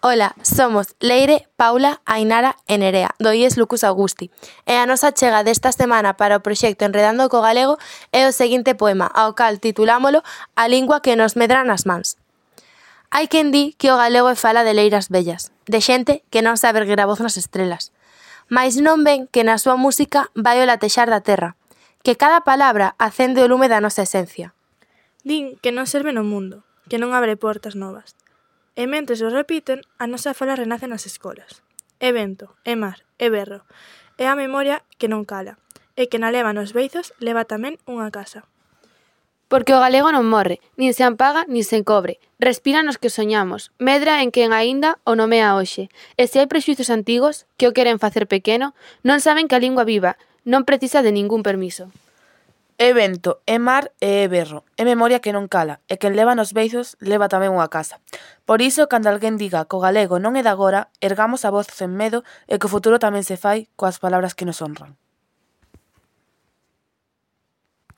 Ola, somos Leire, Paula, Ainara e Nerea, do IES Lucus Augusti. E a nosa chega desta semana para o proxecto Enredando co Galego é o seguinte poema, ao cal titulámolo A lingua que nos medra nas mans. Hai quen di que o galego é fala de leiras vellas, de xente que non sabe erguer a voz nas estrelas. Mais non ven que na súa música vai o latexar da terra, que cada palabra acende o lume da nosa esencia. Din que non serve no mundo, que non abre portas novas. E mentres o repiten, a nosa fala renace nas escolas. É vento, é mar, é berro. É a memoria que non cala. E que na leva nos beizos leva tamén unha casa. Porque o galego non morre, nin se apaga, nin se encobre. Respira nos que soñamos, medra en quen aínda o nomea hoxe. E se hai prexuizos antigos que o queren facer pequeno, non saben que a lingua viva non precisa de ningún permiso. É vento, é mar e é berro, é memoria que non cala, e quen leva nos beizos leva tamén unha casa. Por iso, cando alguén diga que o galego non é de agora, ergamos a voz sen medo e que o futuro tamén se fai coas palabras que nos honran.